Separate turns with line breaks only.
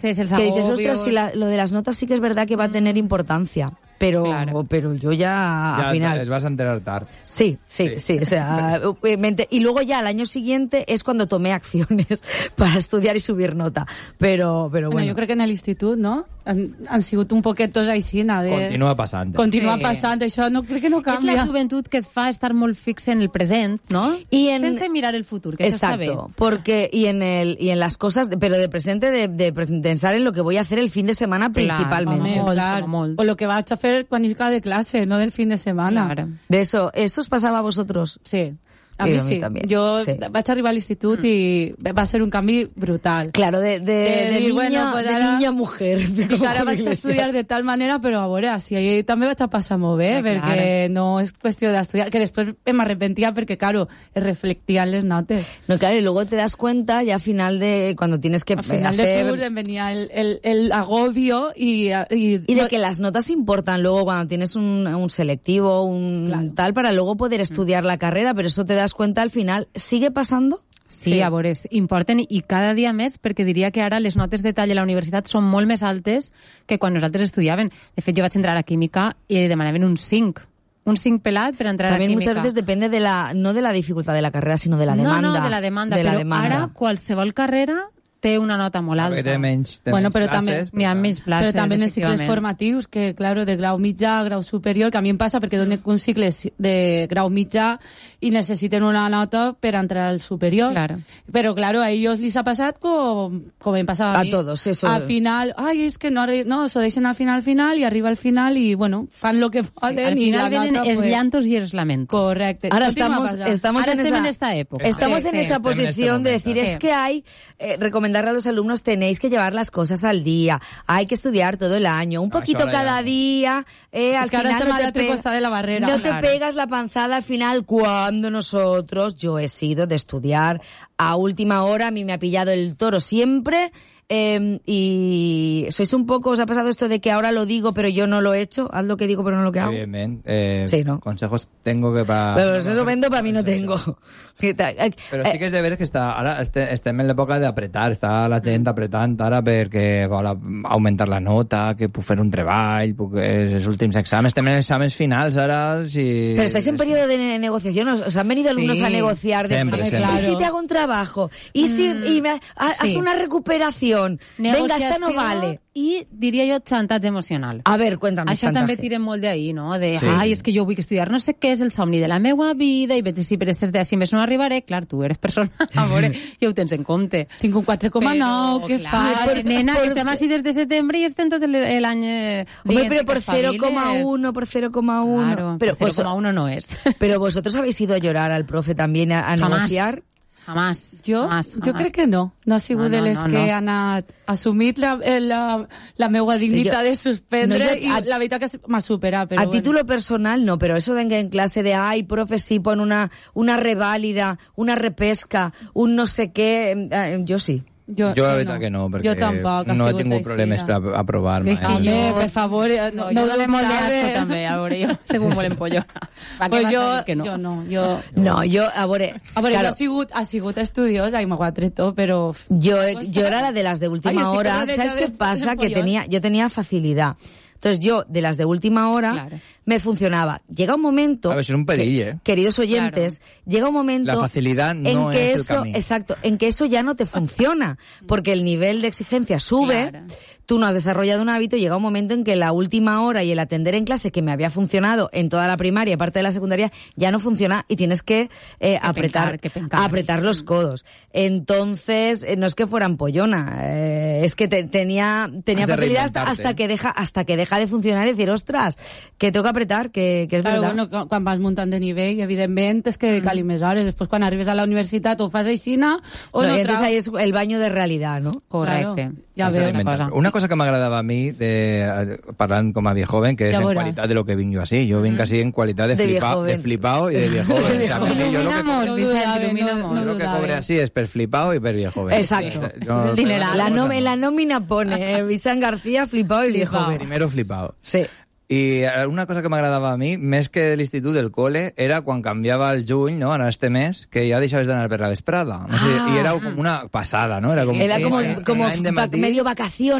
Sí,
que dices, ostras, si lo de las notas sí que es verdad que va a tener importancia. Pero yo ya al final...
Les vas a enterar tarde.
Sí. O sea, y luego ya al año siguiente es cuando tomé acciones para estudiar y subir nota. Pero bueno.
Jo crec que en l'institut, no? Han sigut un poquet tots així,
Continua passant.
Passant, això no crec que no canvia.
És la joventut que et fa estar molt fix en el present, ¿no? Sense mirar el futur, que eso está bien.
Exacto, porque y en las cosas, pero de presente, de pensar en lo que voy a hacer el fin de semana principalmente.
O lo que vas a hacer cuando llegas de clase, no del fin de semana.
Claro.
De eso os pasaba a vosotros.
Sí. A mi sí. Jo vaig arribar a l'institut i va ser un canvi brutal.
Claro, de niña a mujer.
I ara vaig estudiar de tal manera, però a veure, si ahir també vaig a passar molt bé, perquè no és qüestió d'estudiar, que després me arrepentia perquè, claro, es reflectían les notes.
No, claro, y luego te das cuenta ya al final de cuando tienes que
al final de curs em venía el agobio y
de que las notas importan luego cuando tienes un selectivo, tal, para luego poder estudiar la carrera, pero eso te das cuenta al final. ¿Sigue pasando?
Sí, a veure, importen i cada dia més, perquè diria que ara les notes de tall a la universitat són molt més altes que quan nosaltres estudiàvem. De fet, jo vaig entrar a química i demanaven un 5. Un 5 pelat per entrar
También
a química.
Muchas veces depende no de la dificultad de la carrera, sino de la demanda.
No, de la demanda. Però ara qualsevol carrera té una nota molt alta.
Té menys
però
classes.
N'hi ha menys places,
però també en els cicles formatius, que, claro, de grau mitjà a grau superior, que a mi em passa perquè dono un cicle de grau mitjà i necessiten una nota per entrar al superior.
Claro.
Però, claro, a ells li ha passat com em passava a mi.
A todos, eso.
Al final, és que no, s'ho deixen al final i arriba al final i, bueno, fan lo que poden.
Al final venen
nota,
els llantos i els lamentos.
Correcte.
Ahora estamos en esta época. Estamos en esa posición de decir, es que hay... recomendarle a los alumnos, tenéis que llevar las cosas al día, hay que estudiar todo el año, un poquito cada día, al final no te pegas la panzada al final. Cuando yo he sido de estudiar a última hora, a mí me ha pillado el toro siempre. Y sois un poco, os ha pasado esto de que ahora lo digo pero yo no lo he hecho, haz lo que digo pero no lo que hago.
Bien.
Sí, ¿no?
Consejos tengo que
pero eso vendo, para mí no tengo.
Però sí que és de veres que ara estem en l'època d'apretar, està la gent apretant ara perquè vol augmentar la nota, que puc fer un treball, els últims exàmens, estem en exàmens finals ara.
Pero estáis en periodo de negociación, os han venido alumnos a negociar
siempre.
¿Y si te hago un trabajo? ¿Y si haz una recuperación? Venga, esta no vale.
I diria jo xantatge emocional.
A ver, cuéntame.
Això també tira molt d'ahir, no? És que jo vull estudiar no sé què, és el somni de la meva vida i veig si per aquestes dècimes no arribaré. Clar, tu eres persona, a veure, ja ho tens en compte.
Tinc un 4,9, què fas?
Nena, que estem així des de setembre i estem tot l'any
Hombre, pero por 0,1, por 0,1.
Claro, pero 0,1 no es.
Pero vosotros habéis ido a llorar al profe también a negociar.
Jamás.
Jo crec que no. No ha sigut de les que han assumit la meva dignitat de suspendre i la veritat que m'ha superat.
A título personal no, pero eso de que en clase de profe, sí, pon una reválida, una repesca, un no sé qué, yo sí.
Jo la veritat que no, perquè no he tingut problemes per aprovar-me.
Per favor, no
dóna molt d'asco també, a veure, jo segur molt empollona.
Pues jo no.
No, jo, a veure,
claro. Jo ha sigut estudiosa i m'ho ha tret tot, però...
Yo era la de las de última hora. ¿Sabes qué pasa? Que yo tenía facilidad. Entonces yo, de las de última hora, me funcionaba. Llega un momento...
A ver, es un perill,
queridos oyentes, llega un momento...
La facilidad no es el camino.
Exacto, en que eso ya no te funciona, porque el nivel de exigencia sube, tú no has desarrollado un hábito, y llega un momento en que la última hora y el atender en clase, que me había funcionado en toda la primaria y parte de la secundaria, ya no funciona y tienes que apretar los codos. Entonces, no es que fuera ampollona, es que tenía facilidad hasta que deja de funcionar y decir, ostras, que tengo que apretar, que és verdad.
Bueno, quan vas muntant de nivell, evidentment, és que cal més hores. Després, quan arribes a la universitat, o fas aixina, o no.
Entonces ahí es el baño de realidad, ¿no?
Correcte.
Ja veo
una cosa que m'agradava a mi, parlant com a viejoven, que és en qualitat de lo que vinc jo així. Jo vinc així en qualitat de flipao i de viejoven.
Il·lumina-mos.
Jo lo que cobre així és per flipao i per viejoven.
Exacto. La nómina pone Vicent García, flipao y viejoven.
Primero flipao.
Sí.
I una cosa que m'agradava a mi, més que l'institut del col·le, era quan canviava el juny, no?, en este mes, que ja deixaves d'anar per la vesprada. No sé, i era com una passada, no?
Era como medio vacaciones.